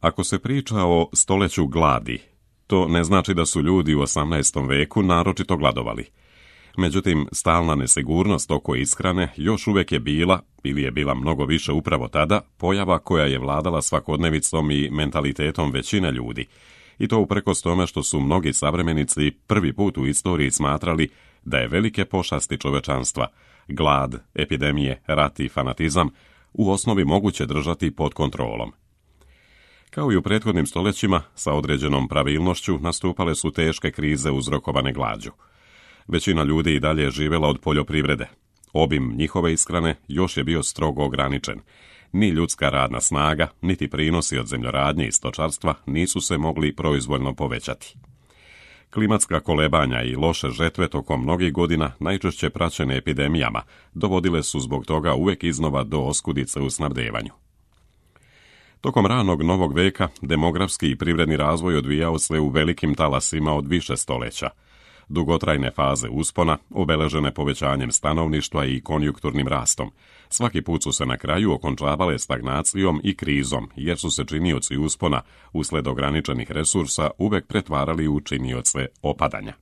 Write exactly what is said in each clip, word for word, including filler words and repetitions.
Ako se priča o stoljeću gladi, to ne znači da su ljudi u osamnaestom veku naročito gladovali. Međutim, stalna nesigurnost oko ishrane još uvijek je bila, ili je bila mnogo više upravo tada, pojava koja je vladala svakodnevicom i mentalitetom većine ljudi. I to uprkos tome što su mnogi savremenici prvi put u istoriji smatrali da je velike pošasti čovečanstva, glad, epidemije, rat i fanatizam, u osnovi moguće držati pod kontrolom. Kao i u prethodnim stoljećima, sa određenom pravilnošću nastupale su teške krize uzrokovane glađu. Većina ljudi i dalje je živjela od poljoprivrede. Obim njihove ishrane još je bio strogo ograničen. Ni ljudska radna snaga, niti prinosi od zemljoradnje i stočarstva nisu se mogli proizvoljno povećati. Klimatska kolebanja i loše žetve tokom mnogih godina, najčešće praćene epidemijama, dovodile su zbog toga uvijek iznova do oskudice u snabdevanju. Tokom ranog novog veka demografski i privredni razvoj odvijao se u velikim talasima od više stoljeća. Dugotrajne faze uspona, obeležene povećanjem stanovništva i konjunkturnim rastom, svaki put su se na kraju okončavale stagnacijom i krizom, jer su se činioci uspona, usled ograničenih resursa, uvek pretvarali u činioce opadanja.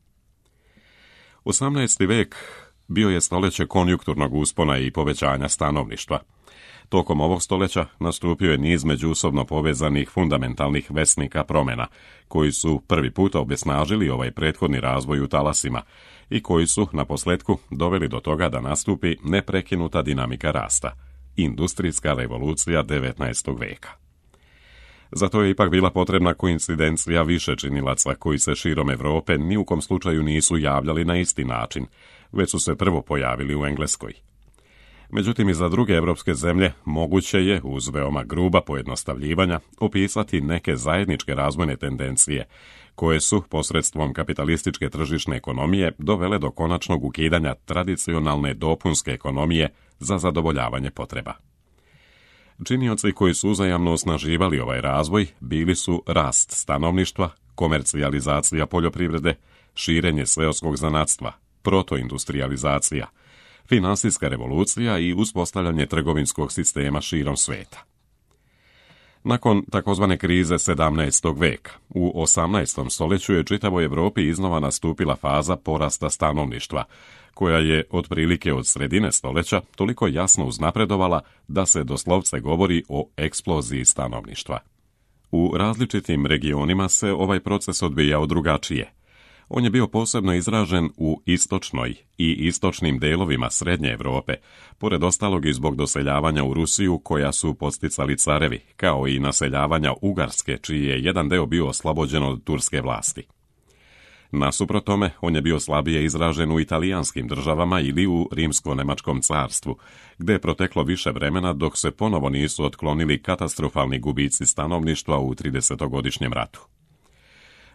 osamnaesti vek bio je stoljeće konjunkturnog uspona i povećanja stanovništva. Tokom ovog stoljeća nastupio je niz međusobno povezanih fundamentalnih vesnika promjena, koji su prvi puta obesnažili ovaj prethodni razvoj u talasima i koji su, naposljetku, doveli do toga da nastupi neprekinuta dinamika rasta, industrijska revolucija devetnaestog veka. Zato je ipak bila potrebna koincidencija više činilaca koji se širom Europe ni u kom slučaju nisu javljali na isti način, već su se prvo pojavili u Engleskoj. Međutim, i za druge evropske zemlje moguće je, uz veoma gruba pojednostavljivanja, opisati neke zajedničke razvojne tendencije, koje su, posredstvom kapitalističke tržišne ekonomije, dovele do konačnog ukidanja tradicionalne dopunske ekonomije za zadovoljavanje potreba. Činioci koji su uzajamno osnaživali ovaj razvoj bili su rast stanovništva, komercijalizacija poljoprivrede, širenje seoskog zanatstva, protoindustrijalizacija, finansijska revolucija i uspostavljanje trgovinskog sistema širom sveta. Nakon takozvane krize sedamnaestog veka, u osamnaestom stoljeću je čitavoj Europi iznova nastupila faza porasta stanovništva, koja je otprilike od sredine stoljeća toliko jasno uznapredovala da se doslovce govori o eksploziji stanovništva. U različitim regionima se ovaj proces odvijao drugačije. On je bio posebno izražen u istočnoj i istočnim delovima Srednje Europe, pored ostalog i zbog doseljavanja u Rusiju koja su podsticali carevi, kao i naseljavanja Ugarske, čiji je jedan deo bio oslobođen od turske vlasti. Nasuprot tome, on je bio slabije izražen u italijanskim državama ili u Rimsko-Nemačkom carstvu, gde je proteklo više vremena dok se ponovo nisu otklonili katastrofalni gubici stanovništva u tridesetogodišnjem ratu.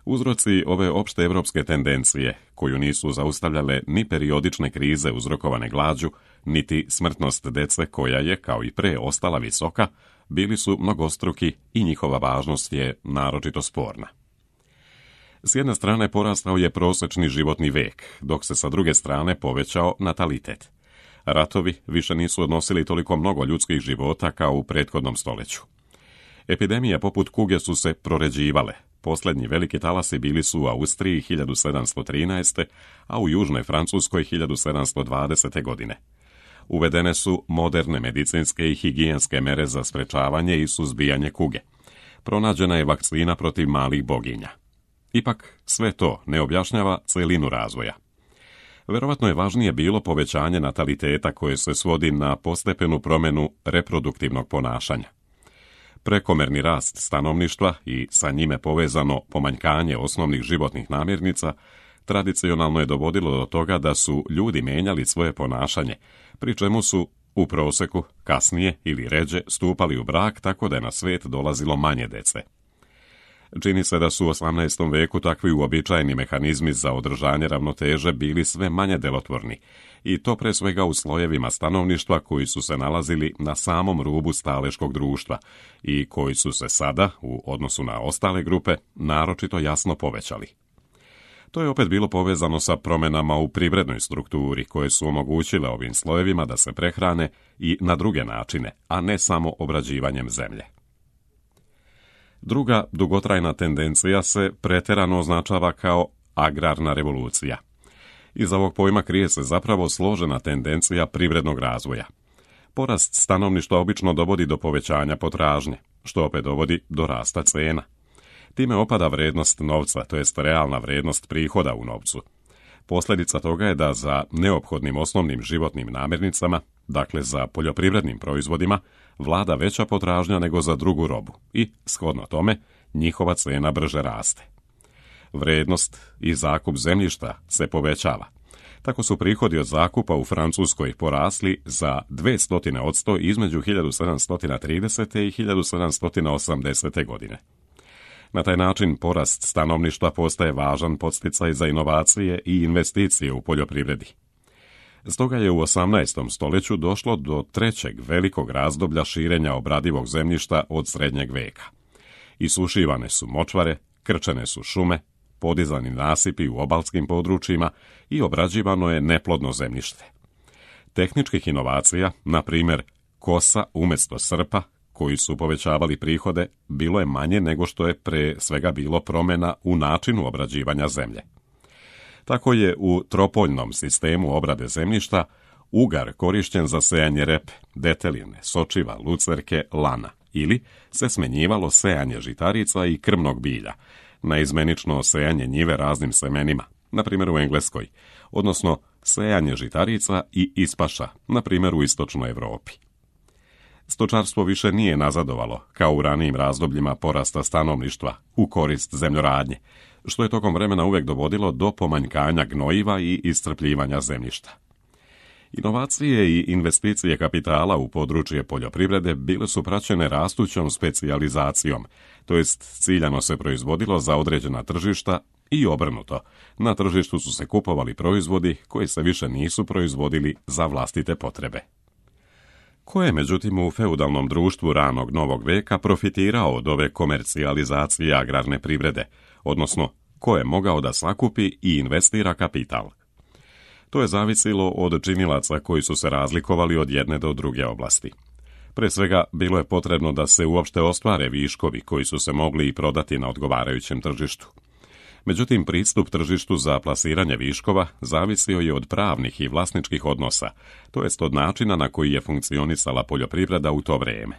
Uzroci ove opšte evropske tendencije, koju nisu zaustavljale ni periodične krize uzrokovane glađu, niti smrtnost dece koja je, kao i pre, ostala visoka, bili su mnogostruki i njihova važnost je naročito sporna. S jedne strane porastao je prosečni životni vek, dok se sa druge strane povećao natalitet. Ratovi više nisu odnosili toliko mnogo ljudskih života kao u prethodnom stoljeću. Epidemije poput kuge su se proređivale. Posljednji veliki talasi bili su u Austriji hiljadu sedamsto trinaeste. a u Južnoj Francuskoj hiljadu sedamsto dvadesete. godine. Uvedene su moderne medicinske i higijenske mere za sprečavanje i suzbijanje kuge. Pronađena je vakcina protiv malih boginja. Ipak, sve to ne objašnjava celinu razvoja. Verovatno je važnije bilo povećanje nataliteta koje se svodi na postepenu promjenu reproduktivnog ponašanja. Prekomerni rast stanovništva i sa njime povezano pomanjkanje osnovnih životnih namirnica tradicionalno je dovodilo do toga da su ljudi menjali svoje ponašanje, pri čemu su u proseku kasnije ili ređe stupali u brak tako da je na svijet dolazilo manje dece. Čini se da su u osamnaestom veku takvi uobičajeni mehanizmi za održanje ravnoteže bili sve manje delotvorni, i to pre svega u slojevima stanovništva koji su se nalazili na samom rubu staleškog društva i koji su se sada, u odnosu na ostale grupe, naročito jasno povećali. To je opet bilo povezano sa promjenama u privrednoj strukturi koje su omogućile ovim slojevima da se prehrane i na druge načine, a ne samo obrađivanjem zemlje. Druga dugotrajna tendencija se pretjerano označava kao agrarna revolucija. Iza ovog pojma krije se zapravo složena tendencija privrednog razvoja. Porast stanovništva obično dovodi do povećanja potražnje, što opet dovodi do rasta cena. Time opada vrijednost novca, to jest realna vrijednost prihoda u novcu. Posljedica toga je da za neophodnim osnovnim životnim namirnicama, dakle za poljoprivrednim proizvodima, vlada veća potražnja nego za drugu robu i, shodno tome, njihova cena brže raste. Vrijednost i zakup zemljišta se povećava. Tako su prihodi od zakupa u Francuskoj porasli za dvjesto posto između hiljadu sedamsto tridesete i hiljadu sedamsto osamdesete godine. Na taj način porast stanovništva postaje važan podsticaj za inovacije i investicije u poljoprivredi. Stoga je u osamnaestom stoljeću došlo do trećeg velikog razdoblja širenja obradivog zemljišta od srednjeg veka. Isušivane su močvare, krčene su šume, podizani nasipi u obalskim područjima i obrađivano je neplodno zemljište. Tehničkih inovacija, na primjer kosa umjesto srpa, koji su povećavali prihode, bilo je manje nego što je pre svega bilo promjena u načinu obrađivanja zemlje. Tako je u tropoljnom sistemu obrade zemljišta ugar korišten za sejanje repe, deteline, sočiva, lucerke, lana, ili se smenjivalo sejanje žitarica i krmnog bilja, naizmenično sejanje njive raznim semenima, na primjer u Engleskoj, odnosno sejanje žitarica i ispaša, na primjer u istočnoj Europi. Stočarstvo više nije nazadovalo, kao u ranijim razdobljima porasta stanovništva, u korist zemljoradnje, što je tokom vremena uvijek dovodilo do pomanjkanja gnojiva i iscrpljivanja zemljišta. Inovacije i investicije kapitala u područje poljoprivrede bile su praćene rastućom specijalizacijom, to jest ciljano se proizvodilo za određena tržišta i obrnuto. Na tržištu su se kupovali proizvodi koji se više nisu proizvodili za vlastite potrebe. Ko je, međutim, u feudalnom društvu ranog novog veka profitirao od ove komercijalizacije agrarne privrede, odnosno ko je mogao da sakupi i investira kapital? To je zavisilo od činilaca koji su se razlikovali od jedne do druge oblasti. Pre svega, bilo je potrebno da se uopšte ostvare viškovi koji su se mogli i prodati na odgovarajućem tržištu. Međutim, pristup tržištu za plasiranje viškova zavisio je od pravnih i vlasničkih odnosa, to jest od načina na koji je funkcionisala poljoprivreda u to vrijeme.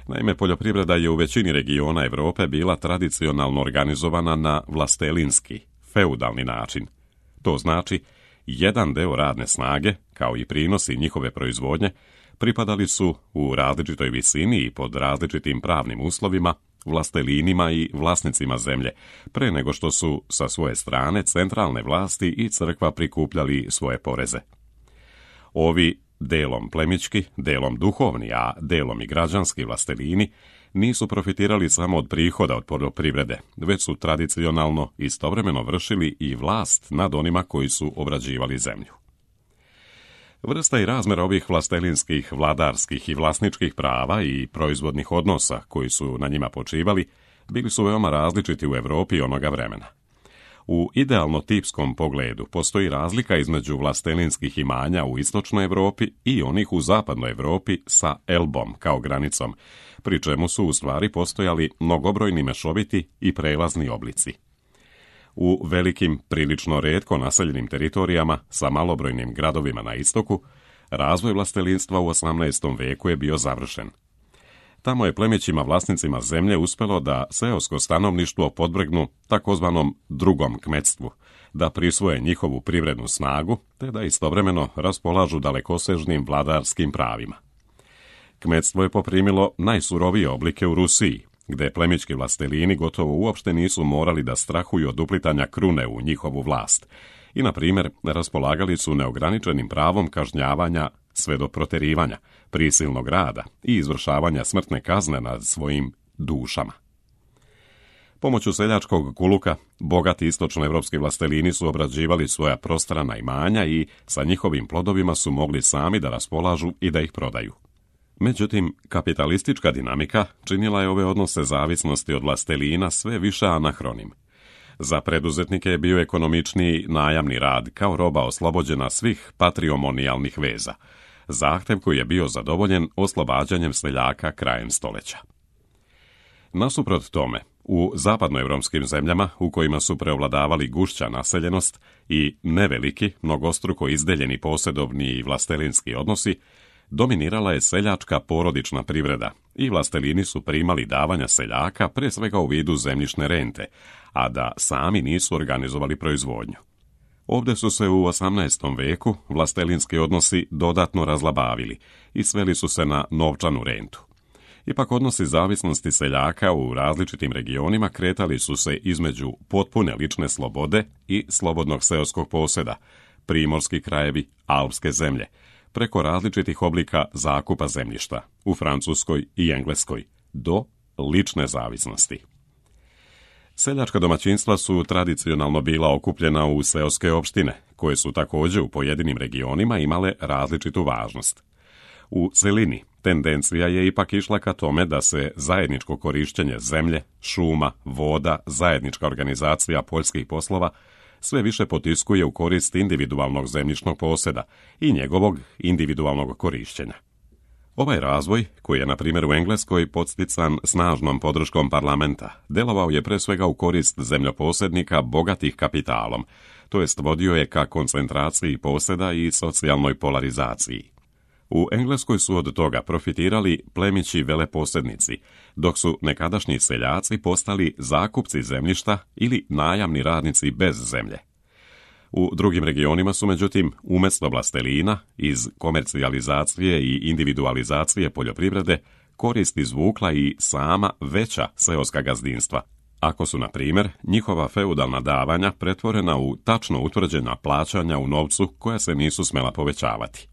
Naime, poljoprivreda je u većini regiona Europe bila tradicionalno organizovana na vlastelinski, feudalni način. To znači, jedan deo radne snage, kao i prinosi njihove proizvodnje, pripadali su u različitoj visini i pod različitim pravnim uslovima vlastelinima i vlasnicima zemlje, pre nego što su sa svoje strane centralne vlasti i crkva prikupljali svoje poreze. Ovi delom plemički, delom duhovni, a delom i građanski vlastelini nisu profitirali samo od prihoda od poljoprivrede, već su tradicionalno istovremeno vršili i vlast nad onima koji su obrađivali zemlju. Vrsta i razmer ovih vlastelinskih, vladarskih i vlasničkih prava i proizvodnih odnosa koji su na njima počivali bili su veoma različiti u Europi onoga vremena. U idealno tipskom pogledu postoji razlika između vlastelinskih imanja u istočnoj Europi i onih u zapadnoj Europi sa Elbom kao granicom, pri čemu su u stvari postojali mnogobrojni mešoviti i prelazni oblici. U velikim, prilično retko naseljenim teritorijama sa malobrojnim gradovima na istoku, razvoj vlastelinstva u osamnaestom veku je bio završen. Tamo je plemićima vlasnicima zemlje uspelo da seosko stanovništvo podvrgnu takozvanom drugom kmetstvu, da prisvoje njihovu privrednu snagu, te da istovremeno raspolažu dalekosežnim vladarskim pravima. Kmetstvo je poprimilo najsurovije oblike u Rusiji, gde plemićki vlastelini gotovo uopšte nisu morali da strahuju od uplitanja krune u njihovu vlast i, na primjer, raspolagali su neograničenim pravom kažnjavanja sve do proterivanja, prisilnog rada i izvršavanja smrtne kazne nad svojim dušama. Pomoću seljačkog kuluka, bogati istočnoevropski vlastelini su obrađivali svoja prostrana imanja i sa njihovim plodovima su mogli sami da raspolažu i da ih prodaju. Međutim, kapitalistička dinamika činila je ove odnose zavisnosti od vlastelina sve više anahronim. Za preduzetnike je bio ekonomičniji najamni rad kao roba oslobođena svih patrimonijalnih veza, zahtev koji je bio zadovoljen oslobađanjem seljaka krajem stoljeća. Nasuprot tome, u zapadnoevropskim zemljama u kojima su preovladavali gušća naseljenost i neveliki, mnogostruko izdeljeni posjedovni i vlastelinski odnosi, dominirala je seljačka porodična privreda i vlastelini su primali davanja seljaka pre svega u vidu zemljišne rente, a da sami nisu organizovali proizvodnju. Ovdje su se u osamnaestom veku vlastelinski odnosi dodatno razlabavili i sveli su se na novčanu rentu. Ipak odnosi zavisnosti seljaka u različitim regionima kretali su se između potpune lične slobode i slobodnog seoskog posjeda, primorski krajevi, alpske zemlje, preko različitih oblika zakupa zemljišta u Francuskoj i Engleskoj, do lične zavisnosti. Seljačka domaćinstva su tradicionalno bila okupljena u seoske opštine, koje su također u pojedinim regionima imale različitu važnost. U celini tendencija je ipak išla ka tome da se zajedničko korišćenje zemlje, šuma, voda, zajednička organizacija poljskih poslova sve više potiskuje u korist individualnog zemljišnog posjeda i njegovog individualnog korišćenja. Ovaj razvoj, koji je na primjer u Engleskoj podstican snažnom podrškom parlamenta, delovao je pre svega u korist zemljoposjednika bogatih kapitalom, to jest vodio je ka koncentraciji posjeda i socijalnoj polarizaciji. U Engleskoj su od toga profitirali plemići veleposjednici, dok su nekadašnji seljaci postali zakupci zemljišta ili najamni radnici bez zemlje. U drugim regionima su, međutim, umjesto vlastelina, iz komercijalizacije i individualizacije poljoprivrede, korist izvukla i sama veća seoska gazdinstva, ako su, na primjer, njihova feudalna davanja pretvorena u tačno utvrđena plaćanja u novcu koja se nisu smela povećavati.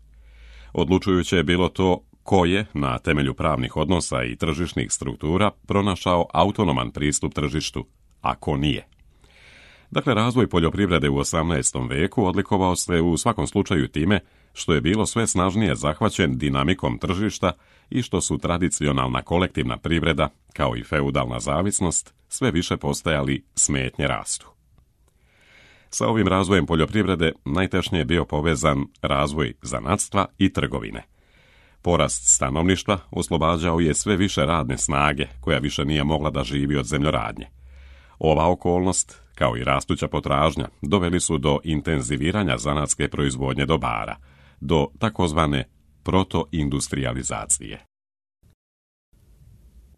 Odlučujuće je bilo to ko je, na temelju pravnih odnosa i tržišnih struktura, pronašao autonoman pristup tržištu, a ko nije. Dakle, razvoj poljoprivrede u osamnaestom veku odlikovao se u svakom slučaju time što je bilo sve snažnije zahvaćen dinamikom tržišta i što su tradicionalna kolektivna privreda, kao i feudalna zavisnost, sve više postajali smetnje rastu. Sa ovim razvojem poljoprivrede najtešnije je bio povezan razvoj zanatstva i trgovine. Porast stanovništva oslobađao je sve više radne snage, koja više nije mogla da živi od zemljoradnje. Ova okolnost, kao i rastuća potražnja, doveli su do intenziviranja zanatske proizvodnje dobara, do takozvane protoindustrializacije.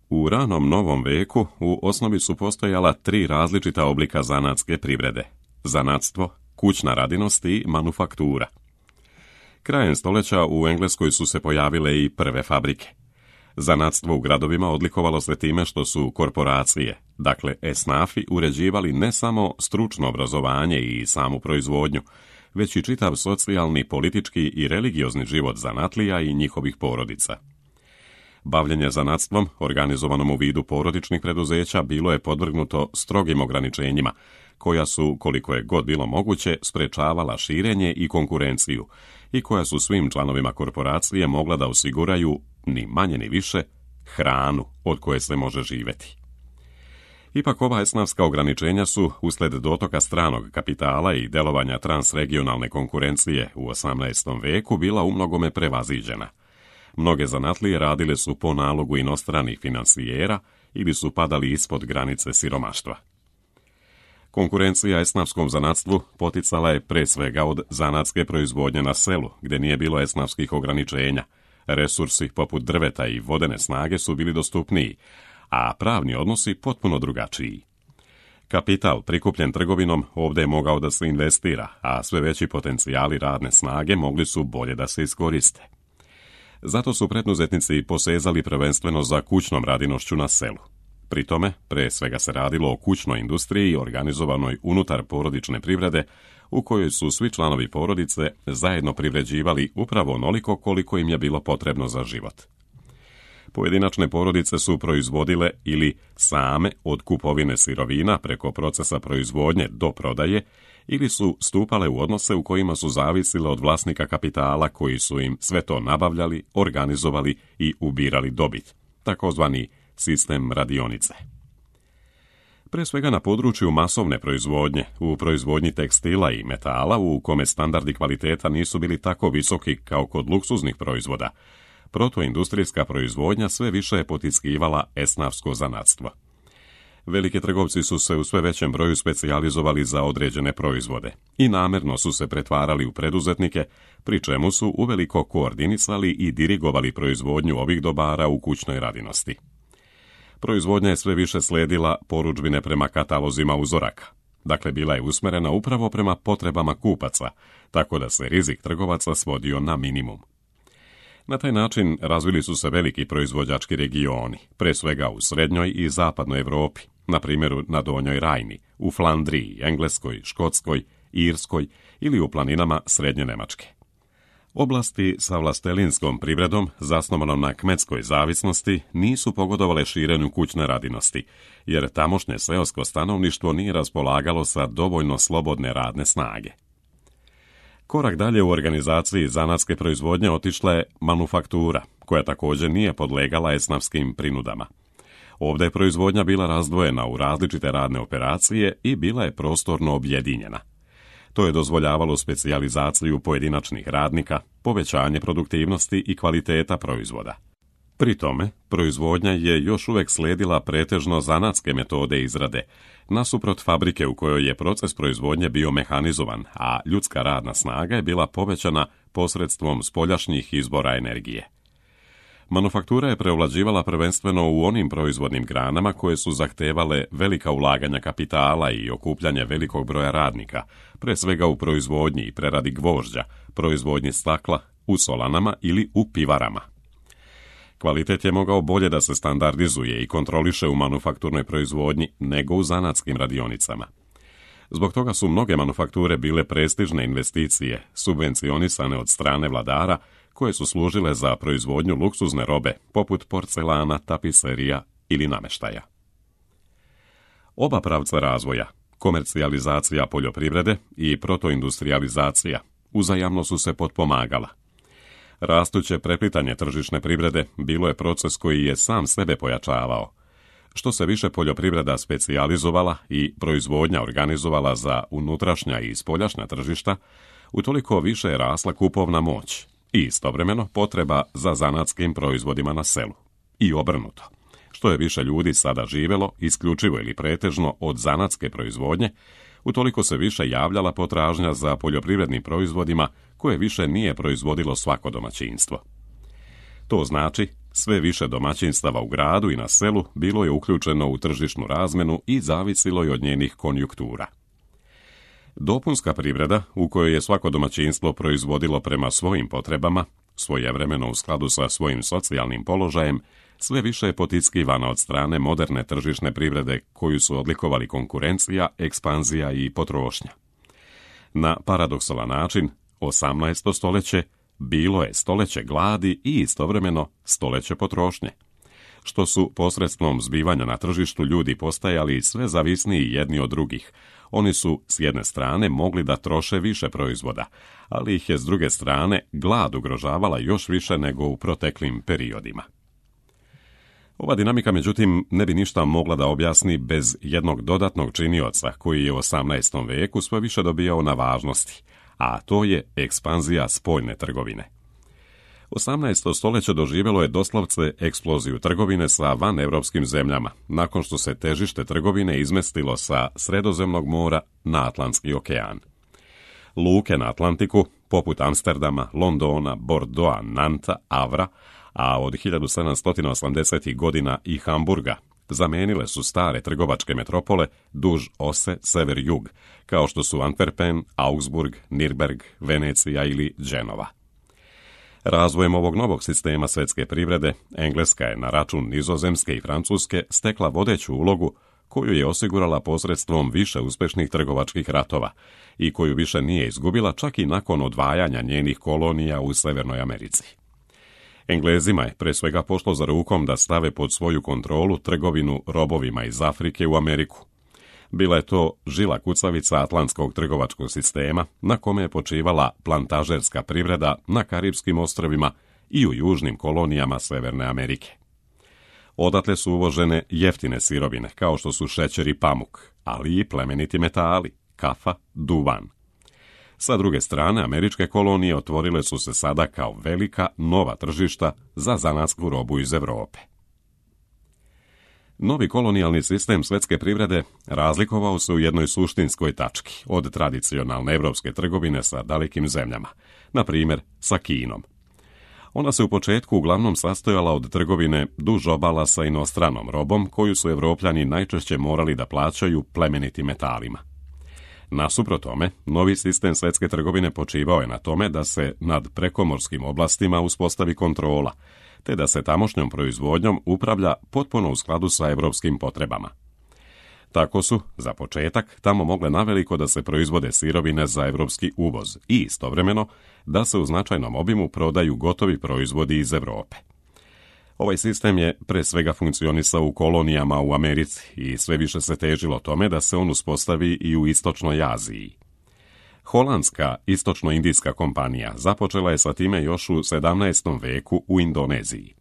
U ranom novom veku u osnovi su postojala tri različita oblika zanatske privrede: zanatstvo, kućna radinost i manufaktura. Krajem stoljeća u Engleskoj su se pojavile i prve fabrike. Zanatstvo u gradovima odlikovalo se time što su korporacije, dakle esnafi, uređivali ne samo stručno obrazovanje i samu proizvodnju, već i čitav socijalni, politički i religiozni život zanatlija i njihovih porodica. Bavljenje zanatstvom, organizovanom u vidu porodičnih preduzeća, bilo je podvrgnuto strogim ograničenjima, koja su, koliko je god bilo moguće, sprečavala širenje i konkurenciju i koja su svim članovima korporacije mogla da osiguraju, ni manje ni više, hranu od koje se može živjeti. Ipak ova esnafska ograničenja su, usled dotoka stranog kapitala i delovanja transregionalne konkurencije u osamnaestom veku, bila umnogome prevaziđena. Mnoge zanatlije radile su po nalogu inostranih finansijera ili su padali ispod granice siromaštva. Konkurencija esnafskom zanatstvu poticala je pre svega od zanatske proizvodnje na selu, gdje nije bilo esnafskih ograničenja. Resursi poput drveta i vodene snage su bili dostupniji, a pravni odnosi potpuno drugačiji. Kapital prikupljen trgovinom ovdje je mogao da se investira, a sve veći potencijali radne snage mogli su bolje da se iskoriste. Zato su preduzetnici posezali prvenstveno za kućnom radinošću na selu. Pri tome, pre svega se radilo o kućnoj industriji organizovanoj unutar porodične privrede, u kojoj su svi članovi porodice zajedno privređivali upravo onoliko koliko im je bilo potrebno za život. Pojedinačne porodice su proizvodile ili same od kupovine sirovina preko procesa proizvodnje do prodaje, ili su stupale u odnose u kojima su zavisile od vlasnika kapitala koji su im sve to nabavljali, organizovali i ubirali dobit, takozvani sistem radionice. Pre svega na području masovne proizvodnje, u proizvodnji tekstila i metala, u kome standardi kvaliteta nisu bili tako visoki kao kod luksuznih proizvoda, protoindustrijska proizvodnja sve više je potiskivala esnafsko zanatstvo. Veliki trgovci su se u sve većem broju specijalizovali za određene proizvode i namjerno su se pretvarali u preduzetnike, pri čemu su uveliko koordinisali i dirigovali proizvodnju ovih dobara u kućnoj radinosti. Proizvodnja je sve više slijedila porudžbine prema katalozima uzoraka, dakle bila je usmjerena upravo prema potrebama kupaca, tako da se rizik trgovaca svodio na minimum. Na taj način razvili su se veliki proizvođački regioni, pre svega u srednjoj i zapadnoj Europi, na primjeru na Donjoj Rajni, u Flandriji, Engleskoj, Škotskoj, Irskoj ili u planinama Srednje Njemačke. Oblasti sa vlastelinskom privredom, zasnovanom na kmetskoj zavisnosti, nisu pogodovale širenju kućne radinosti, jer tamošnje seosko stanovništvo nije raspolagalo sa dovoljno slobodne radne snage. Korak dalje u organizaciji zanatske proizvodnje otišla je manufaktura, koja također nije podlegala esnafskim prinudama. Ovdje je proizvodnja bila razdvojena u različite radne operacije i bila je prostorno objedinjena. To je dozvoljavalo specijalizaciju pojedinačnih radnika, povećanje produktivnosti i kvaliteta proizvoda. Pri tome, proizvodnja je još uvijek slijedila pretežno zanatske metode izrade, nasuprot fabrike u kojoj je proces proizvodnje bio mehanizovan, a ljudska radna snaga je bila povećana posredstvom spoljašnjih izbora energije. Manufaktura je preovlađivala prvenstveno u onim proizvodnim granama koje su zahtevale velika ulaganja kapitala i okupljanje velikog broja radnika, pre svega u proizvodnji i preradi gvožđa, proizvodnji stakla, u solanama ili u pivarama. Kvalitet je mogao bolje da se standardizuje i kontroliše u manufakturnoj proizvodnji nego u zanatskim radionicama. Zbog toga su mnoge manufakture bile prestižne investicije, subvencionisane od strane vladara, koje su služile za proizvodnju luksuzne robe, poput porcelana, tapiserija ili namještaja. Oba pravca razvoja, komercijalizacija poljoprivrede i protoindustrijalizacija, uzajamno su se potpomagala. Rastuće preplitanje tržišne privrede bilo je proces koji je sam sebe pojačavao. Što se više poljoprivreda specijalizovala i proizvodnja organizovala za unutrašnja i spoljašnja tržišta, utoliko više je rasla kupovna moć i istovremeno potreba za zanatskim proizvodima na selu. I obrnuto. Što je više ljudi sada živjelo, isključivo ili pretežno od zanatske proizvodnje, utoliko se više javljala potražnja za poljoprivrednim proizvodima koje više nije proizvodilo svako domaćinstvo. To znači, sve više domaćinstava u gradu i na selu bilo je uključeno u tržišnu razmenu i zavisilo je od njenih konjunktura. Dopunska privreda, u kojoj je svako domaćinstvo proizvodilo prema svojim potrebama, svojevremeno u skladu sa svojim socijalnim položajem, sve više je potiskivana od strane moderne tržišne privrede koju su odlikovali konkurencija, ekspanzija i potrošnja. Na paradoksalan način, osamnaesto stoljeće bilo je stoljeće gladi i istovremeno stoljeće potrošnje, što su posredstvom zbivanja na tržištu ljudi postajali sve zavisniji jedni od drugih. Oni su s jedne strane mogli da troše više proizvoda, ali ih je s druge strane glad ugrožavala još više nego u proteklim periodima. Ova dinamika, međutim, ne bi ništa mogla da objasni bez jednog dodatnog činioca koji je u osamnaestom veku sve više dobijao na važnosti, a to je ekspanzija spoljne trgovine. osamnaesto stoljeće doživjelo je doslovce eksploziju trgovine sa vanevropskim zemljama, nakon što se težište trgovine izmestilo sa Sredozemnog mora na Atlantski okean. Luke na Atlantiku, poput Amsterdama, Londona, Bordeauxa, Nanta, Avra, a od hiljadu sedamsto osamdesetih godina i Hamburga, zamenile su stare trgovačke metropole duž ose sever-jug, kao što su Antwerpen, Augsburg, Nürnberg, Venecija ili Dženova. Razvojem ovog novog sistema svjetske privrede, Engleska je na račun Nizozemske i Francuske stekla vodeću ulogu koju je osigurala posredstvom više uspješnih trgovačkih ratova i koju više nije izgubila čak i nakon odvajanja njenih kolonija u Severnoj Americi. Englezima je pre svega pošlo za rukom da stave pod svoju kontrolu trgovinu robovima iz Afrike u Ameriku. Bila je to žila kucavica atlantskog trgovačkog sistema na kome je počivala plantažerska privreda na Karibskim ostrvima i u južnim kolonijama Severne Amerike. Odatle su uvožene jeftine sirovine kao što su šećer i pamuk, ali i plemeniti metali, kafa, duvan. Sa druge strane, američke kolonije otvorile su se sada kao velika nova tržišta za zanatsku robu iz Europe. Novi kolonijalni sistem svjetske privrede razlikovao se u jednoj suštinskoj tački od tradicionalne evropske trgovine sa dalekim zemljama, na primjer sa Kinom. Ona se u početku uglavnom sastojala od trgovine duž obala sa inostranom robom koju su Evropljani najčešće morali da plaćaju plemenitim metalima. Nasuprot tome, novi sistem svjetske trgovine počivao je na tome da se nad prekomorskim oblastima uspostavi kontrola, te da se tamošnjom proizvodnjom upravlja potpuno u skladu sa evropskim potrebama. Tako su, za početak, tamo mogle naveliko da se proizvode sirovine za evropski uvoz i istovremeno da se u značajnom obimu prodaju gotovi proizvodi iz Europe. Ovaj sistem je pre svega funkcionisao u kolonijama u Americi i sve više se težilo tome da se on uspostavi i u Istočnoj Aziji. Holandska istočno-indijska kompanija započela je sa time još u sedamnaestom veku u Indoneziji.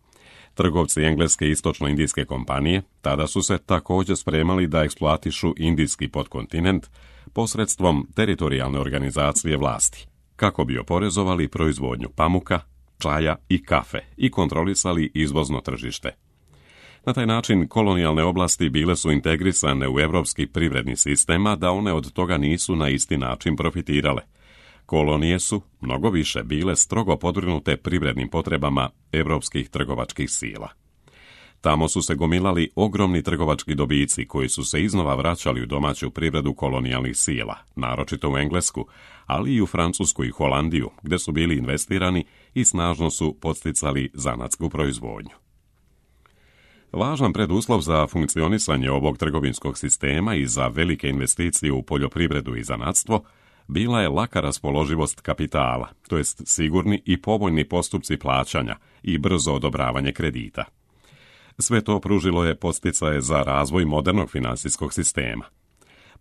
Trgovci engleske istočno-indijske kompanije tada su se također spremali da eksploatišu indijski podkontinent posredstvom teritorijalne organizacije vlasti, kako bi oporezovali proizvodnju pamuka, čaja i kafe i kontrolisali izvozno tržište. Na taj način kolonijalne oblasti bile su integrisane u evropski privredni sistem, a da one od toga nisu na isti način profitirale. Kolonije su mnogo više bile strogo podvrgnute privrednim potrebama evropskih trgovačkih sila. Tamo su se gomilali ogromni trgovački dobici koji su se iznova vraćali u domaću privredu kolonijalnih sila, naročito u Englesku, ali i u Francusku i Holandiju, gde su bili investirani i snažno su podsticali zanatsku proizvodnju. Važan preduslov za funkcionisanje ovog trgovinskog sistema i za velike investicije u poljoprivredu i zanatstvo bila je laka raspoloživost kapitala, to jest sigurni i povoljni postupci plaćanja i brzo odobravanje kredita. Sve to pružilo je podsticaje za razvoj modernog finansijskog sistema.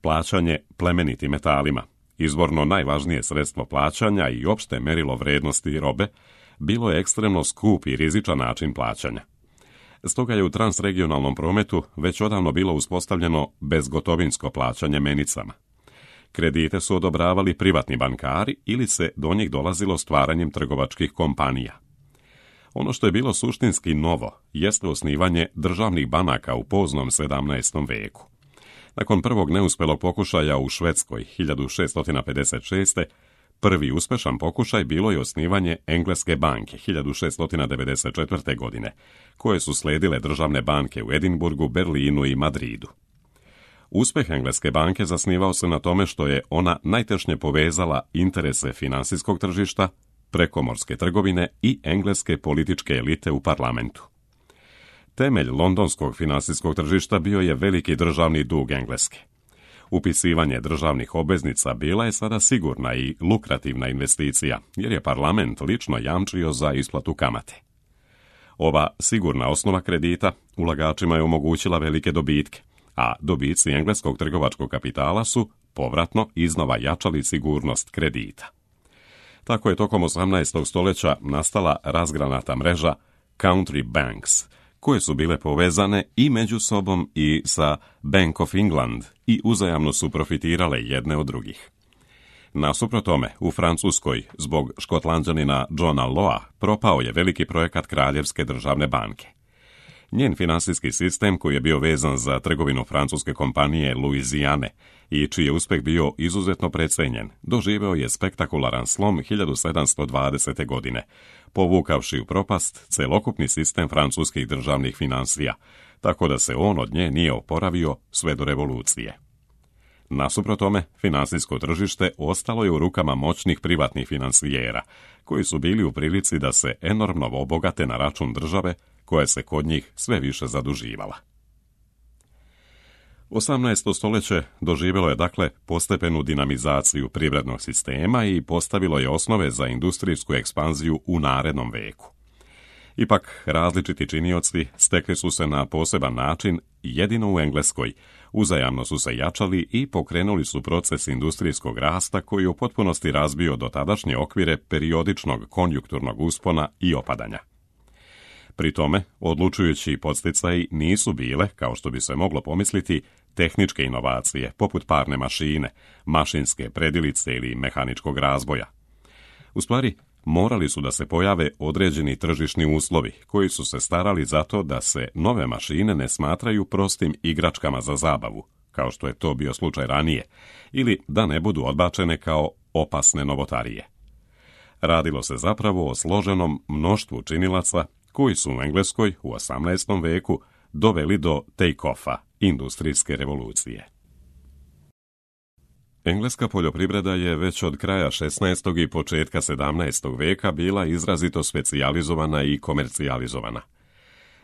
Plaćanje plemenitim metalima, izvorno najvažnije sredstvo plaćanja i opšte merilo vrednosti robe, bilo je ekstremno skup i rizičan način plaćanja. Stoga je u transregionalnom prometu već odavno bilo uspostavljeno bezgotovinsko plaćanje menicama. Kredite su odobravali privatni bankari ili se do njih dolazilo stvaranjem trgovačkih kompanija. Ono što je bilo suštinski novo jeste osnivanje državnih banaka u poznom sedamnaestom veku. Nakon prvog neuspelog pokušaja u Švedskoj hiljadu šeststo pedeset šeste. prvi uspešan pokušaj bilo je osnivanje Engleske banke hiljadu šeststo devedeset četvrte. godine, koje su sledile državne banke u Edinburgu, Berlinu i Madridu. Uspeh Engleske banke zasnivao se na tome što je ona najtešnje povezala interese finansijskog tržišta, prekomorske trgovine i engleske političke elite u parlamentu. Temelj londonskog finansijskog tržišta bio je veliki državni dug Engleske. Upisivanje državnih obveznica bila je sada sigurna i lukrativna investicija, jer je parlament lično jamčio za isplatu kamate. Ova sigurna osnova kredita ulagačima je omogućila velike dobitke, a dobici engleskog trgovačkog kapitala su povratno iznova jačali sigurnost kredita. Tako je tokom osamnaestog stoljeća nastala razgranata mreža country banks, koje su bile povezane i među sobom i sa Bank of England i uzajamno su profitirale jedne od drugih. Nasuprot tome, u Francuskoj, zbog Škotlanđanina Johna Lawa, propao je veliki projekat Kraljevske državne banke. Njen finansijski sistem, koji je bio vezan za trgovinu francuske kompanije Louisiane i čiji je uspeh bio izuzetno precenjen, doživeo je spektakularan slom hiljadu sedamsto dvadesete. godine, povukavši u propast celokupni sistem francuskih državnih finansija, tako da se on od nje nije oporavio sve do revolucije. Nasuprot tome, finansijsko tržište ostalo je u rukama moćnih privatnih finansijera, koji su bili u prilici da se enormno obogate na račun države, koja se kod njih sve više zaduživala. osamnaesto stoljeće doživjelo je dakle postepenu dinamizaciju privrednog sistema i postavilo je osnove za industrijsku ekspanziju u narednom veku. Ipak, različiti činioci stekli su se na poseban način jedino u Engleskoj, uzajamno su se jačali i pokrenuli su proces industrijskog rasta koji je u potpunosti razbio dotadašnje okvire periodičnog konjunkturnog uspona i opadanja. Pri tome, odlučujući podsticaji nisu bile, kao što bi se moglo pomisliti, tehničke inovacije, poput parne mašine, mašinske predilice ili mehaničkog razboja. U stvari, morali su da se pojave određeni tržišni uslovi, koji su se starali za to da se nove mašine ne smatraju prostim igračkama za zabavu, kao što je to bio slučaj ranije, ili da ne budu odbačene kao opasne novotarije. Radilo se zapravo o složenom mnoštvu činilaca koji su u Engleskoj u osamnaestom veku doveli do take-offa, industrijske revolucije. Engleska poljoprivreda je već od kraja šesnaestog i početka sedamnaestog veka bila izrazito specijalizovana i komercijalizovana.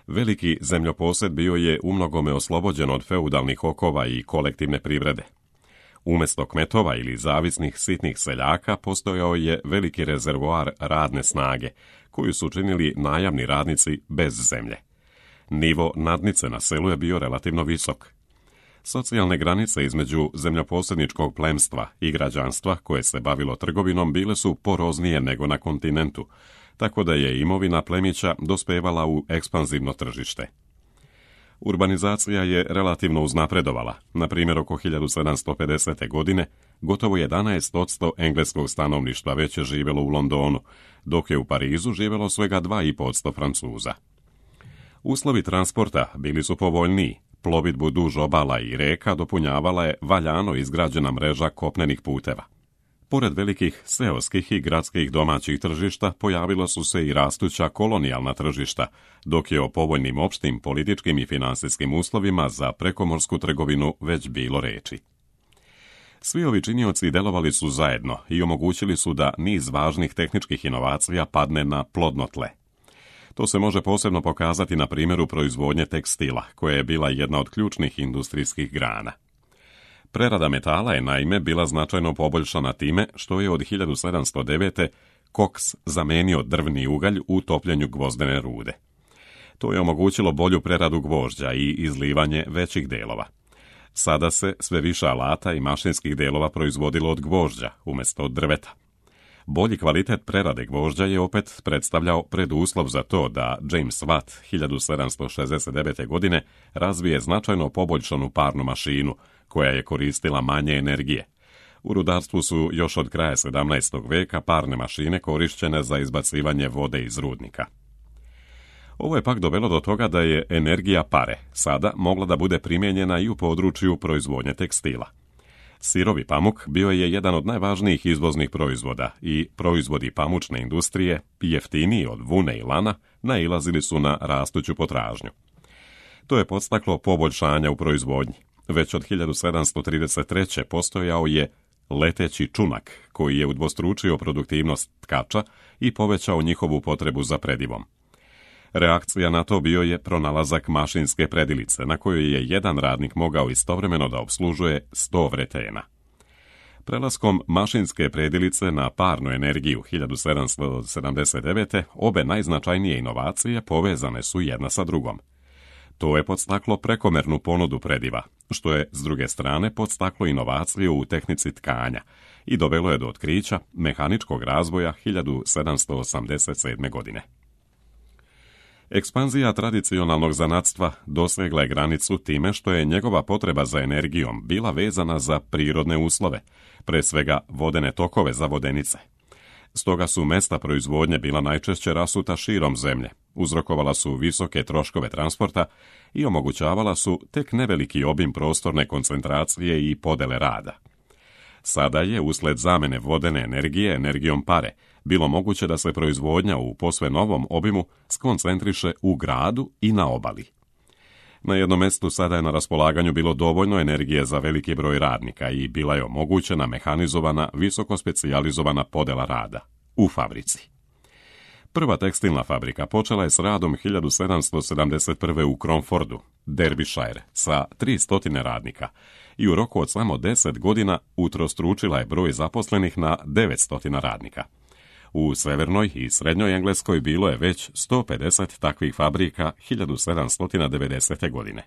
Veliki zemljoposjed bio je umnogome oslobođen od feudalnih okova i kolektivne privrede. Umjesto kmetova ili zavisnih sitnih seljaka postojao je veliki rezervoar radne snage, koju su činili najamni radnici bez zemlje. Nivo nadnice na selu je bio relativno visok. Socijalne granice između zemljoposjedničkog plemstva i građanstva koje se bavilo trgovinom bile su poroznije nego na kontinentu, tako da je imovina plemića dospevala u ekspanzivno tržište. Urbanizacija je relativno uznapredovala. Na primjer, oko hiljadu sedamsto pedesete. godine gotovo jedanaest posto engleskog stanovništva već je živjelo u Londonu, dok je u Parizu živjelo svega dva i pol posto Francuza. Uslovi transporta bili su povoljniji. Plovidbu duž obala i reka dopunjavala je valjano izgrađena mreža kopnenih puteva. Pored velikih seoskih i gradskih domaćih tržišta pojavila su se i rastuća kolonijalna tržišta, dok je o povoljnim opštim političkim i finansijskim uslovima za prekomorsku trgovinu već bilo reči. Svi ovi činioci delovali su zajedno i omogućili su da niz važnih tehničkih inovacija padne na plodno tle. To se može posebno pokazati na primjeru proizvodnje tekstila, koja je bila jedna od ključnih industrijskih grana. Prerada metala je naime bila značajno poboljšana time što je od hiljadu sedamsto devete. koks zamenio drvni ugalj u topljenju gvozdene rude. To je omogućilo bolju preradu gvožđa i izlivanje većih delova. Sada se sve više alata i mašinskih delova proizvodilo od gvožđa umjesto od drveta. Bolji kvalitet prerade gvožđa je opet predstavljao preduslov za to da James Watt hiljadu sedamsto šezdeset devete. godine razvije značajno poboljšanu parnu mašinu, koja je koristila manje energije. U rudarstvu su još od kraja sedamnaestog. veka parne mašine korišćene za izbacivanje vode iz rudnika. Ovo je pak dovelo do toga da je energija pare sada mogla da bude primijenjena i u području proizvodnje tekstila. Sirovi pamuk bio je jedan od najvažnijih izvoznih proizvoda i proizvodi pamučne industrije, jeftiniji od vune i lana, nailazili su na rastuću potražnju. To je podstaklo poboljšanja u proizvodnji. Već od hiljadu sedamsto trideset treće. postojao je leteći čunak, koji je udvostručio produktivnost tkača i povećao njihovu potrebu za predivom. Reakcija na to bio je pronalazak mašinske predilice, na kojoj je jedan radnik mogao istovremeno da opslužuje sto vretena. Prelaskom mašinske predilice na parnu energiju hiljadu sedamsto sedamdeset devete. obe najznačajnije inovacije povezane su jedna sa drugom. To je podstaklo prekomernu ponudu prediva, što je, s druge strane, podstaklo inovaciju u tehnici tkanja i dovelo je do otkrića mehaničkog razvoja hiljadu sedamsto osamdeset sedme. godine. Ekspanzija tradicionalnog zanatstva dosegla je granicu time što je njegova potreba za energijom bila vezana za prirodne uslove, pre svega vodene tokove za vodenice. Stoga su mesta proizvodnje bila najčešće rasuta širom zemlje, uzrokovala su visoke troškove transporta i omogućavala su tek neveliki obim prostorne koncentracije i podele rada. Sada je, usled zamene vodene energije energijom pare, bilo moguće da se proizvodnja u posve novom obimu skoncentriše u gradu i na obali. Na jednom mjestu sada je na raspolaganju bilo dovoljno energije za veliki broj radnika i bila je omogućena mehanizovana, visoko specijalizovana podela rada u fabrici. Prva tekstilna fabrika počela je s radom hiljadu sedamsto sedamdeset prve. u Cromfordu, Derbyshire, sa tristo radnika i u roku od samo deset godina utrostručila je broj zaposlenih na devetsto radnika. U severnoj i srednjoj Engleskoj bilo je već sto pedeset takvih fabrika hiljadu sedamsto devedesete. godine.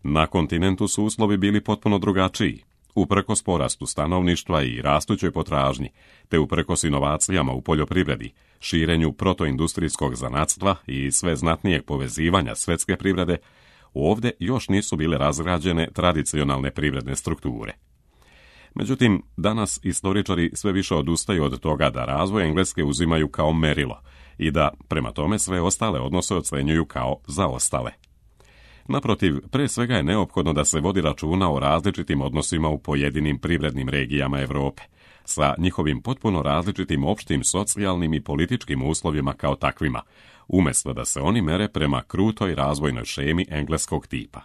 Na kontinentu su uslovi bili potpuno drugačiji. Uprkos porastu stanovništva i rastućoj potražnji, te uprkos inovacijama u poljoprivredi, širenju protoindustrijskog zanatstva i sve znatnijeg povezivanja svjetske privrede, ovdje još nisu bile razgrađene tradicionalne privredne strukture. Međutim, danas istoričari sve više odustaju od toga da razvoj Engleske uzimaju kao merilo i da, prema tome, sve ostale odnose ocenjuju kao zaostale. Naprotiv, pre svega je neophodno da se vodi računa o različitim odnosima u pojedinim privrednim regijama Europe, sa njihovim potpuno različitim opštim socijalnim i političkim uslovima kao takvima, umjesto da se oni mere prema krutoj razvojnoj šemi engleskog tipa.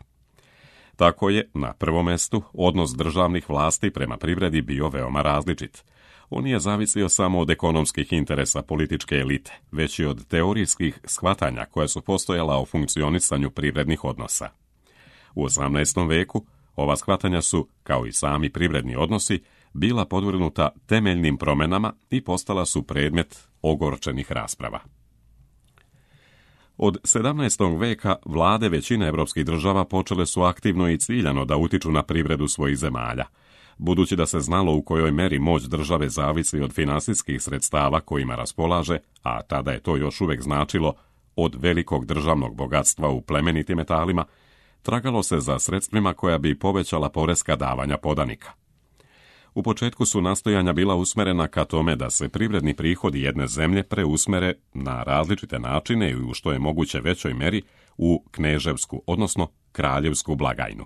Tako je, na prvom mjestu, odnos državnih vlasti prema privredi bio veoma različit. On nije zavisio samo od ekonomskih interesa političke elite, već i od teorijskih shvatanja koja su postojala o funkcionisanju privrednih odnosa. U osamnaestom veku ova shvatanja su, kao i sami privredni odnosi, bila podvrgnuta temeljnim promjenama i postala su predmet ogorčenih rasprava. Od sedamnaestog veka vlade većine evropskih država počele su aktivno i ciljano da utiču na privredu svojih zemalja, budući da se znalo u kojoj meri moć države zavisi od finansijskih sredstava kojima raspolaže, a tada je to još uvijek značilo od velikog državnog bogatstva u plemenitim metalima, tragalo se za sredstvima koja bi povećala poreska davanja podanika. U početku su nastojanja bila usmerena ka tome da se privredni prihodi jedne zemlje preusmere na različite načine i u što je moguće većoj meri u kneževsku, odnosno kraljevsku blagajnu.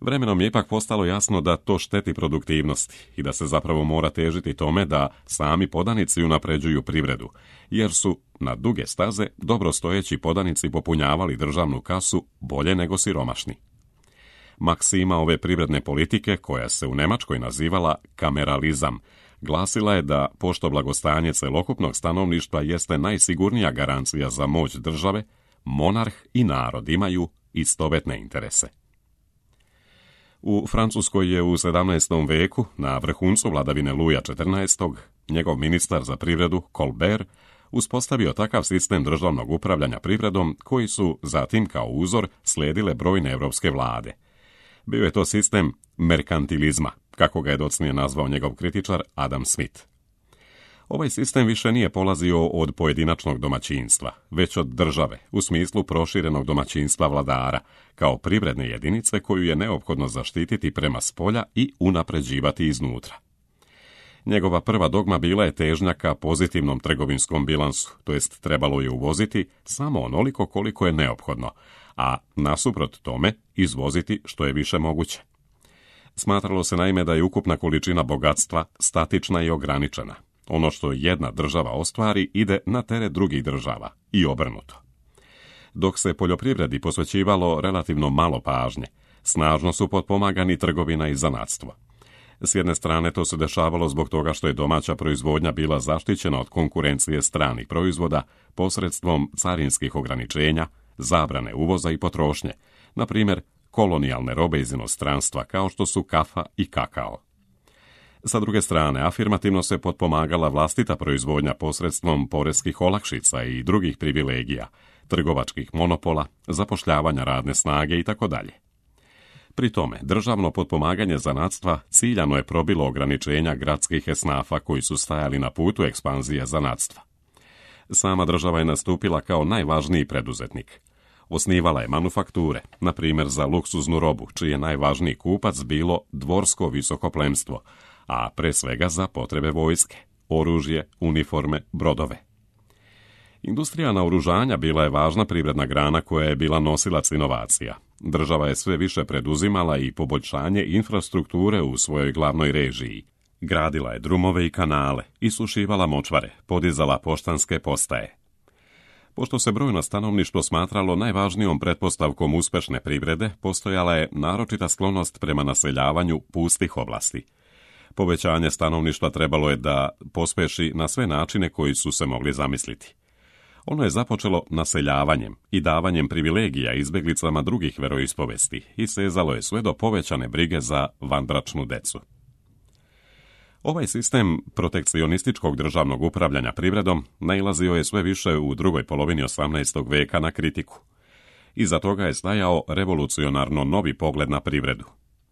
Vremenom je ipak postalo jasno da to šteti produktivnosti i da se zapravo mora težiti tome da sami podanici unapređuju privredu, jer su na duge staze dobrostojeći podanici popunjavali državnu kasu bolje nego siromašni. Maksima ove privredne politike, koja se u Njemačkoj nazivala kameralizam, glasila je da, pošto blagostanje celokupnog stanovništva jeste najsigurnija garancija za moć države, monarh i narod imaju istovetne interese. U Francuskoj je u sedamnaestom veku, na vrhuncu vladavine Luja četrnaestog, njegov ministar za privredu, Colbert, uspostavio takav sistem državnog upravljanja privredom koji su zatim kao uzor slijedile brojne evropske vlade. Bio je to sistem merkantilizma, kako ga je docnije nazvao njegov kritičar Adam Smith. Ovaj sistem više nije polazio od pojedinačnog domaćinstva, već od države, u smislu proširenog domaćinstva vladara, kao privredne jedinice koju je neophodno zaštititi prema spolja i unapređivati iznutra. Njegova prva dogma bila je težnja ka pozitivnom trgovinskom bilansu, to jest trebalo je uvoziti samo onoliko koliko je neophodno, a nasuprot tome izvoziti što je više moguće. Smatralo se naime da je ukupna količina bogatstva statična i ograničena. Ono što jedna država ostvari ide na teret drugih država i obrnuto. Dok se poljoprivredi posvećivalo relativno malo pažnje, snažno su potpomagani trgovina i zanatstvo. S jedne strane to se dešavalo zbog toga što je domaća proizvodnja bila zaštićena od konkurencije stranih proizvoda posredstvom carinskih ograničenja, zabrane uvoza i potrošnje, na primjer kolonijalne robe iz inostranstva kao što su kafa i kakao. Sa druge strane, afirmativno se potpomagala vlastita proizvodnja posredstvom poreskih olakšica i drugih privilegija, trgovačkih monopola, zapošljavanja radne snage itd. Pri tome, državno potpomaganje zanatstva ciljano je probilo ograničenja gradskih esnafa koji su stajali na putu ekspanzije zanatstva. Sama država je nastupila kao najvažniji preduzetnik. Osnivala je manufakture, na primjer za luksuznu robu, čiji je najvažniji kupac bilo dvorsko visokoplemstvo, a pre svega za potrebe vojske, oružje, uniforme, brodove. Industrija naoružanja bila je važna privredna grana koja je bila nosilac inovacija. Država je sve više preduzimala i poboljšanje infrastrukture u svojoj glavnoj režiji. Gradila je drumove i kanale, isušivala močvare, podizala poštanske postaje. Pošto se brojno stanovništvo smatralo najvažnijom pretpostavkom uspešne privrede, postojala je naročita sklonost prema naseljavanju pustih oblasti. Povećanje stanovništva trebalo je da pospeši na sve načine koji su se mogli zamisliti. Ono je započelo naseljavanjem i davanjem privilegija izbeglicama drugih veroispovesti i sezalo je sve do povećane brige za vanbračnu decu. Ovaj sistem protekcionističkog državnog upravljanja privredom nailazio je sve više u drugoj polovini osamnaestog veka na kritiku. Iza toga je stajao revolucionarno novi pogled na privredu.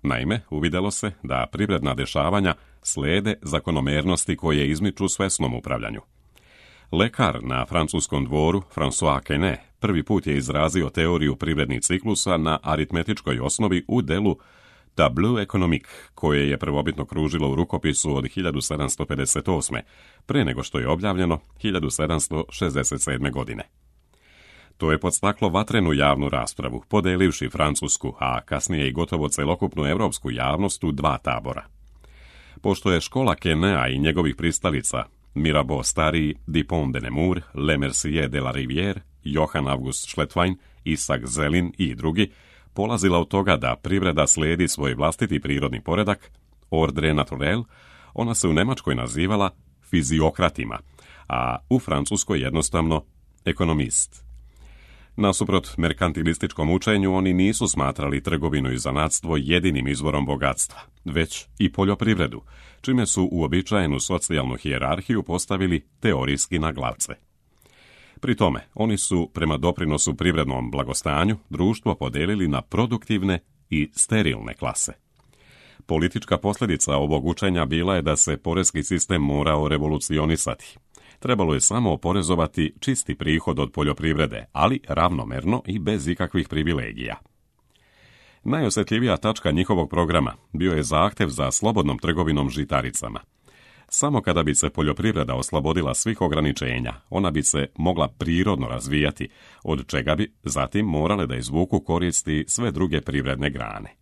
Naime, uvidjelo se da privredna dešavanja slijede zakonomernosti koje izmiču svesnom upravljanju. Lekar na francuskom dvoru, François Quesnay, prvi put je izrazio teoriju privrednih ciklusa na aritmetičkoj osnovi u delu Tableau économique, koje je prvobitno kružilo u rukopisu od hiljadu sedamsto pedeset osme. pre nego što je objavljeno hiljadu sedamsto šezdeset sedme. godine. To je podstaklo vatrenu javnu raspravu, podelivši francusku, a kasnije i gotovo celokupnu europsku javnost u dva tabora. Pošto je škola Quesnaya i njegovih pristalica Mirabeau stariji, Dupont de Nemours, Le Mercier de la Rivière, Johann August Schlettwein, Isaac Zelin i drugi polazila od toga da privreda slijedi svoj vlastiti prirodni poredak, ordre naturel, ona se u Njemačkoj nazivala fiziokratima, a u Francuskoj jednostavno ekonomist. Nasuprot merkantilističkom učenju, oni nisu smatrali trgovinu i zanatstvo jedinim izvorom bogatstva, već i poljoprivredu, čime su uobičajenu socijalnu hijerarhiju postavili teorijski na glavce. Pri tome, oni su, prema doprinosu privrednom blagostanju, društvo podelili na produktivne i sterilne klase. Politička posljedica ovog učenja bila je da se porezki sistem morao revolucionisati. Trebalo je samo oporezovati čisti prihod od poljoprivrede, ali ravnomerno i bez ikakvih privilegija. Najosjetljivija tačka njihovog programa bio je zahtjev za slobodnom trgovinom žitaricama. Samo kada bi se poljoprivreda oslobodila svih ograničenja, ona bi se mogla prirodno razvijati, od čega bi zatim morale da izvuku koristi sve druge privredne grane.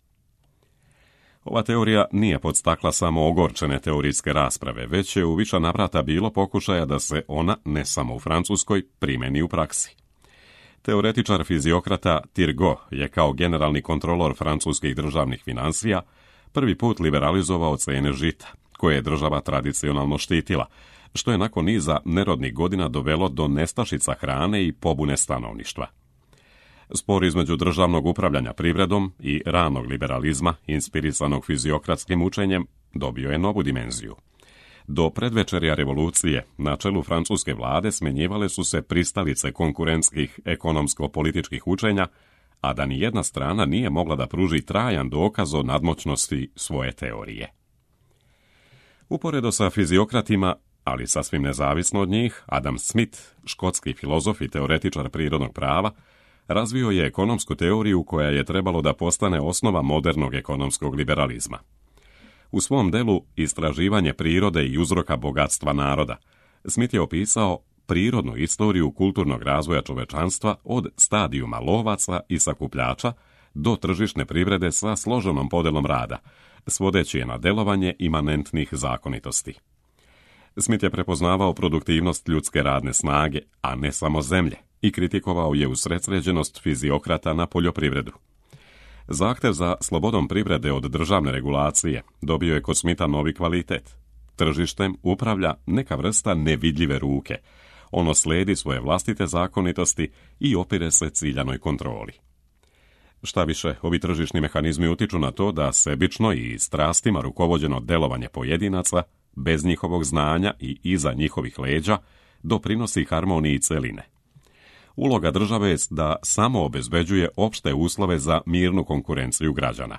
Ova teorija nije podstakla samo ogorčene teorijske rasprave, već je u više navrata bilo pokušaja da se ona, ne samo u Francuskoj, primeni u praksi. Teoretičar fiziokrata Turgot je kao generalni kontrolor francuskih državnih financija prvi put liberalizovao cijene žita, koje je država tradicionalno štitila, što je nakon niza nerodnih godina dovelo do nestašica hrane i pobune stanovništva. Spor između državnog upravljanja privredom i ranog liberalizma, inspirisanog fiziokratskim učenjem, dobio je novu dimenziju. Do predvečerja revolucije na čelu francuske vlade smjenjivale su se pristalice konkurentskih ekonomsko-političkih učenja, a da ni jedna strana nije mogla da pruži trajan dokaz o nadmoćnosti svoje teorije. Uporedo sa fiziokratima, ali sasvim nezavisno od njih, Adam Smith, škotski filozof i teoretičar prirodnog prava, razvio je ekonomsku teoriju koja je trebalo da postane osnova modernog ekonomskog liberalizma. U svom delu Istraživanje prirode i uzroka bogatstva naroda, Smith je opisao prirodnu istoriju kulturnog razvoja čovečanstva od stadijuma lovaca i sakupljača do tržišne privrede sa složenom podelom rada, svodeći je na delovanje imanentnih zakonitosti. Smith je prepoznavao produktivnost ljudske radne snage, a ne samo zemlje, i kritikovao je usredsređenost fiziokrata na poljoprivredu. Zahtev za slobodom privrede od državne regulacije dobio je kod Smitha novi kvalitet. Tržištem upravlja neka vrsta nevidljive ruke. Ono slijedi svoje vlastite zakonitosti i opire se ciljanoj kontroli. Šta više, ovi tržišni mehanizmi utiču na to da sebično i strastima rukovođeno delovanje pojedinaca, bez njihovog znanja i iza njihovih leđa, doprinosi harmoniji celine. Uloga države je da samo obezbeđuje opšte uslove za mirnu konkurenciju građana,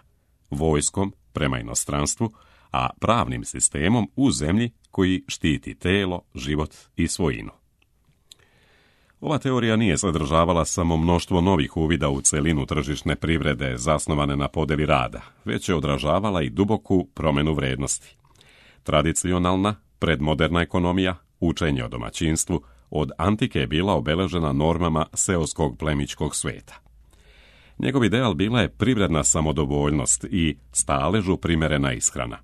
vojskom prema inostranstvu, a pravnim sistemom u zemlji koji štiti telo, život i svojinu. Ova teorija nije sadržavala samo mnoštvo novih uvida u celinu tržišne privrede zasnovane na podeli rada, već je odražavala i duboku promjenu vrednosti. Tradicionalna, predmoderna ekonomija, učenje o domaćinstvu, od antike je bila obeležena normama seoskog plemićkog sveta. Njegov ideal bila je privredna samodovoljnost i staležu primerena ishrana.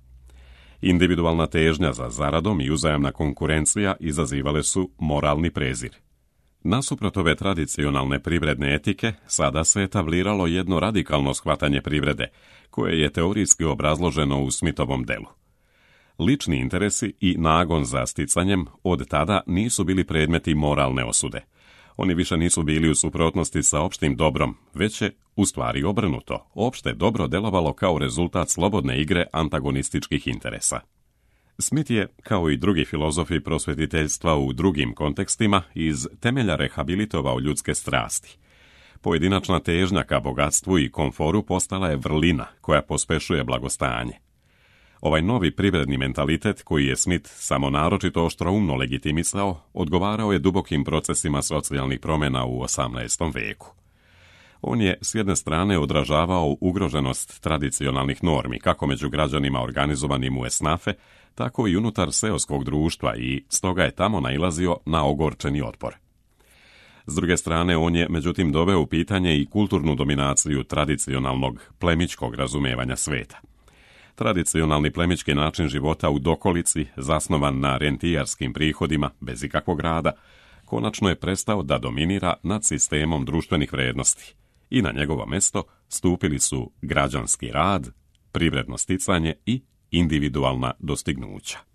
Individualna težnja za zaradom i uzajamna konkurencija izazivale su moralni prezir. Nasuprot ove tradicionalne privredne etike, sada se etabliralo jedno radikalno shvatanje privrede, koje je teorijski obrazloženo u Smithovom delu. Lični interesi i nagon za sticanjem od tada nisu bili predmeti moralne osude. Oni više nisu bili u suprotnosti sa opštim dobrom, već je, u stvari obrnuto, opšte dobro delovalo kao rezultat slobodne igre antagonističkih interesa. Smith je, kao i drugi filozofi prosvetiteljstva u drugim kontekstima, iz temelja rehabilitovao ljudske strasti. Pojedinačna težnja ka bogatstvu i komforu postala je vrlina koja pospešuje blagostanje. Ovaj novi privredni mentalitet, koji je Smith samo naročito oštroumno legitimisao, odgovarao je dubokim procesima socijalnih promjena u osamnaestom veku. On je s jedne strane odražavao ugroženost tradicionalnih normi, kako među građanima organizovanim u esnafe, tako i unutar seoskog društva i stoga je tamo nailazio na ogorčeni otpor. S druge strane, on je međutim doveo u pitanje i kulturnu dominaciju tradicionalnog plemićkog razumijevanja sveta. Tradicionalni plemićki način života u dokolici, zasnovan na rentijarskim prihodima, bez ikakvog rada, konačno je prestao da dominira nad sistemom društvenih vrijednosti i na njegovo mesto stupili su građanski rad, privredno sticanje i individualna dostignuća.